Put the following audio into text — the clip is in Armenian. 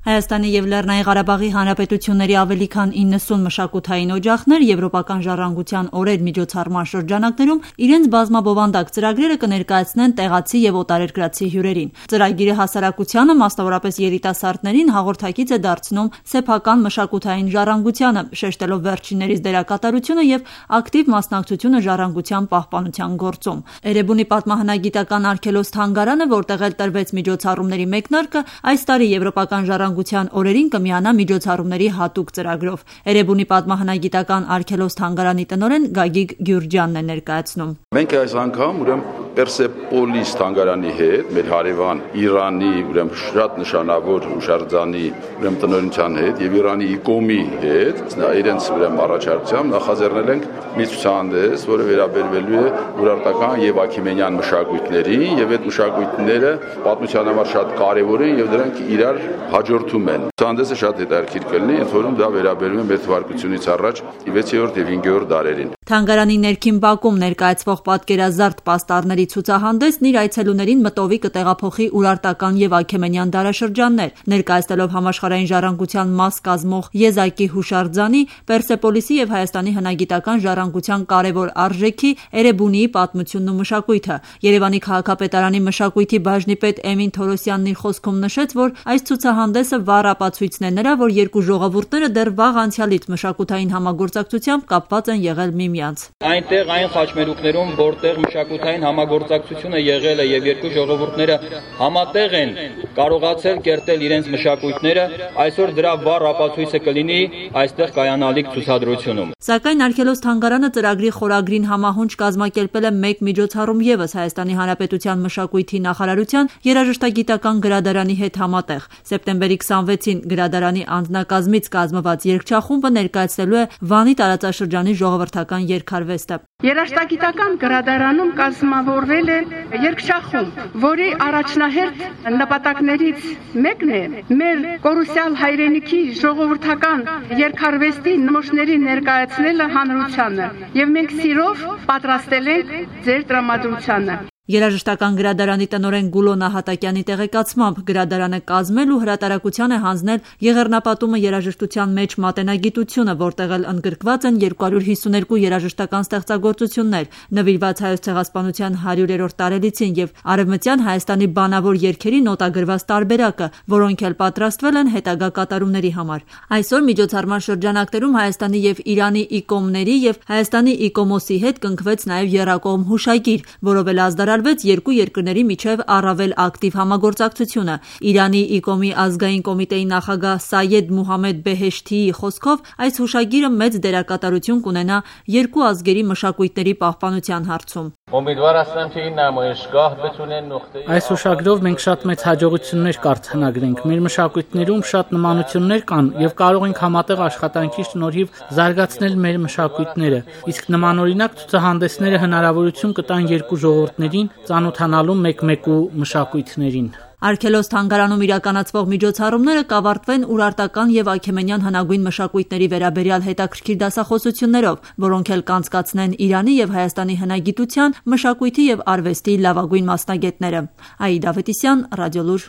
Հայաստանի և Լեռնային Ղարաբաղի Հանրապետությունների ավելի քան 90 մշակութային օջախներ Եվրոպական ժառանգության օրեր միջոցառման շրջանակներում իրենց բազմաբովանդակ ծրագրերը կներկայացնեն տեղացի և օտարերկրացի հյուրերին։ Ծրագիրը հասարակությանը, մասնավորապես երիտասարդներին, հաղորդակից է դարձնում սեփական մշակութային ժառանգությանը, շեշտելով վերջիններիս դերակատարությունը և ակտիվ մասնակցությունը ժառանգության պահպանության գործում։ Էրեբունի պատմահնագիտական արգելոց-թանգարանը, որտեղ էլ տրվեց միջոցառումների մեկնարկը, այս տարի Եվրոպական ժառանգության օրերին կմիանա միջոցառումների հատուկ ծրագրով։ Էրեբունի պատմահնագիտական արգելոց-թանգարանի տնօրեն Գագիկ Գյուրջյանն է ներկայացնում։ Մենք այս անգամ Պերսեպոլիս թանգարանի հետ, մեր հարևան Իրանի շատ նշանավոր հուշարձանի տնօրինության հետ եւ Իրանի ICOM-ի հետ իրենց առաջարկությամբ նախաձեռնել ենք մի ցուցահանդես, որը վերաբերվելու է ուրարտական եւ աքիմենյան մշակույթներին, եւ այդ մշակույթները պատմության համար շատ կարեւոր են եւ դրանք իրար հաջորդում են։ Ցուցահանդեսը շատ հետաքրքիր կլինի, ընդ որում դա վերաբերում է մեր թվարկությունից առաջ 6-րդ եւ 5-րդ դարերին։ Թանգարանի ներքին բակում ներկայացվող պատկերազարդ պաստառների ցուցահանդեսն իր այցելուներին մտովի կտեղափոխի ուրարտական եւ աքեմենյան դարաշրջաններ, ներկայացնելով համաշխարհային ժառանգության մաս կազմող Եզակի հուշարձանի, Պերսեպոլիսի եւ Հայաստանի հնագիտական ժառանգության կարևոր արժեքի Էրեբունիի պատմությունն ու մշակույթը։ Երևանի քաղաքապետարանի մշակույթի բաժնի պետ Էմին Թորոսյանն իր խոսքում նշեց, որ այս ցուցահանդեսը վառ ապացույցն է նրա, որ երկու ժողովուրդները դեռ վաղ անցյալից մշակութային համագործակցությամբ կապված են եղել միմյանց։ Այնտեղ այն խաչմերուկներում, որտեղ մշակութային համագործակցությունը եղել է եւ երկու ժողովուրդները համատեղ են կարողացել կերտել իրենց մշակույթները, այսօր դրա վառ ապացույցը կլինի այստեղ կայանալիք ցուցադրությունում։ Սակայն արգելոց-թանգարանը ծրագրի խորագրին համահունչ կազմակերպել է մեկ միջոցառում եւս Հայաստանի Հանրապետության մշակույթի նախարարության երաժշտագիտական գրադարանի հետ համատեղ։ Սեպտեմբերի 26-ին գրադարանի անձնակազմից կազմված երգչախումբը ներկայացնելու է Վանի տարածաշրջանի ժողովրդական երգարվեստը։ Երաժշտագիտական գրադարանում կազմավորվել է երգչախումբ, որի առաջնահերթ նպատակներից մեկն է մեր կորուսյալ հայրենիքի ժողովրդական երգարվեստի նմուշների ներկայացնելը հանրությանը, եւ մենք սիրով պատրաստել ենք ձեր տրամադրությանը։ Երաժշտական գրադարանի տնօրեն Գուլո Նահատակյանի տեղեկացմամբ գրադարանը կազմել ու հրատարակության է հանձնել Եղեռնապատումը երաժշտության մեջ մատենագիտությունը, որտեղ էլ ընդգրկված են 252 երաժշտական ստեղծագործություններ, նվիրված Հայոց ցեղասպանության 100-րդ տարելիցին եւ Արևմտյան Հայաստանի բանավոր երգերի նոտագրված տարբերակը, որոնք էլ պատրաստվել են հետագա կատարումների համար։ Այսօր միջոցառման շրջանակներում Հայաստանի եւ Իրանի ICOM-ների եւ Հայաստանի ICOMOS-ի հետ կնքվեց նաեւ եռակողմ հուշագիր, որով էլ ազդարարվեց երկու երկրների միջև առավել ակտիվ համագործակցությունը։ Իրանի ICOM-ի ազգային կոմիտեի նախագահ Սայեդ Մուհամեդ Բեհեշթիի խոսքով այս հուշագիրը մեծ դերակատարություն կունենա երկու ազգերի մշակույթների պահպանության հարցում։ Այս հուշագրով մենք շատ մեծ հաջողություններ կարձանագրենք։ Մեր մշակույթներում շատ նմանություններ կան եւ կարող ենք համատեղ աշխատանքի շնորհիվ զարգացնել մեր մշակույթները։ Իսկ նմանօրինակ ցուցահանդեսները հնարավորություն կտան երկու ժողովուրդներին ծանոթանալու մեկ-մեկու մշակույթներին։ Արգելոց-թանգարանում իրականացվող միջոցառումները կավարտվեն ուրարտական եւ աքեմենյան հնագույն մշակույթների վերաբերյալ հետաքրքիր դասախոսություններով, որոնք էլ կանցկացնեն Իրանի եւ Հայաստանի հնագիտության, մշակույթի եւ արվեստի լավագույն մասնագետները։ Աիդա Ավետիսյան, Ռադիոլուր։